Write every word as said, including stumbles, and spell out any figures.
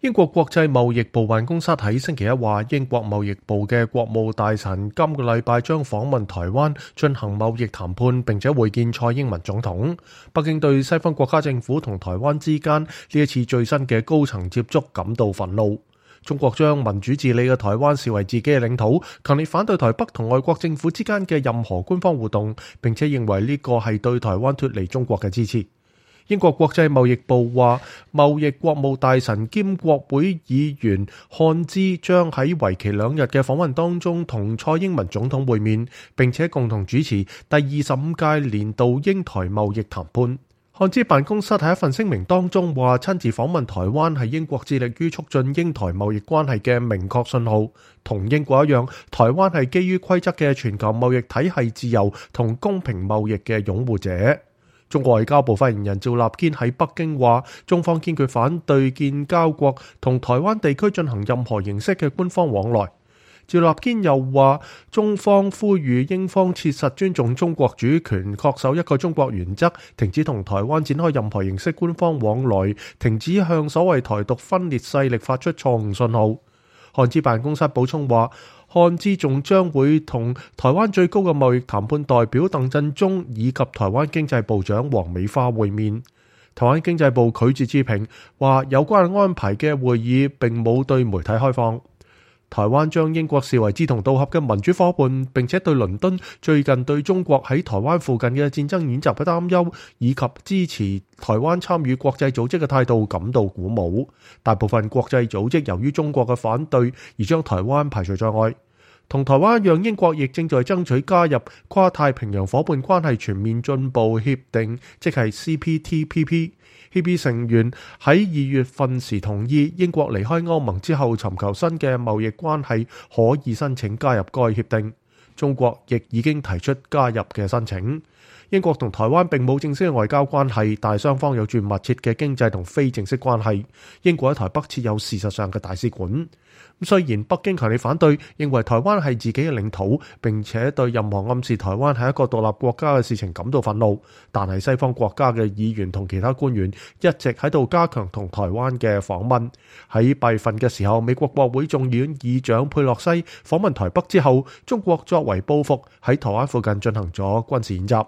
英國國際貿易部辦公室喺星期一話，英國貿易部嘅國務大臣今個禮拜將訪問台灣進行貿易談判，並且會見蔡英文總統。北京對西方國家政府同台灣之間呢一次最新嘅高層接觸感到憤怒。中國將民主治理嘅台灣視為自己嘅領土，強烈反對台北同外國政府之間嘅任何官方互動，並且認為呢個係對台灣脫離中國嘅支持。英國國際貿易部話，貿易國務大臣兼國會議員漢茲將喺為期兩日嘅訪問當中同蔡英文總統會面，並且共同主持第二十五屆年度英台貿易談判。漢茲辦公室喺一份聲明當中話，親自訪問台灣係英國致力於促進英台貿易關係嘅明確信號。同英國一樣，台灣係基於規則嘅全球貿易體系自由同公平貿易嘅擁護者。中國外交部發言人趙立堅喺北京話，中方堅決反對建交國同台灣地區進行任何形式嘅官方往來。趙立堅又話，中方呼籲英方切實尊重中國主權，恪守一個中國原則，停止同台灣展開任何形式官方往來，停止向所謂台獨分裂勢力發出錯誤信號。漢茲辦公室補充話，漢茲仲將會同台灣最高嘅貿易談判代表鄧振中以及台灣經濟部長黃美花會面。台灣經濟部拒絕置評，話有關安排嘅會議並冇對媒體開放。台灣將英國視為志同道合嘅民主夥伴，並且對倫敦最近對中國喺台灣附近嘅戰爭演習嘅擔憂，以及支持台灣參與國際組織嘅態度感到鼓舞。大部分國際組織由於中國嘅反對而將台灣排除在外。同台灣一樣，英國亦正在爭取加入跨太平洋夥伴關係全面進步協定，即係 C P T P P。協議成員喺二月份時同意，英國離開歐盟之後尋求新嘅貿易關係，可以申請加入該協定。中國亦已經提出加入嘅申請。英國同台灣並冇正式嘅外交關係，但雙方有住密切嘅經濟同非正式關係。英國喺台北設有事實上嘅大使館。雖然北京強烈反對，認為台灣係自己嘅領土，並且對任何暗示台灣係一個獨立國家嘅事情感到憤怒，但係西方國家嘅議員同其他官員一直喺度加強同台灣嘅訪問。喺八月份嘅時候，美國國會眾議院議長佩洛西訪問台北之後，中國作為報復喺台灣附近進行咗軍事演習。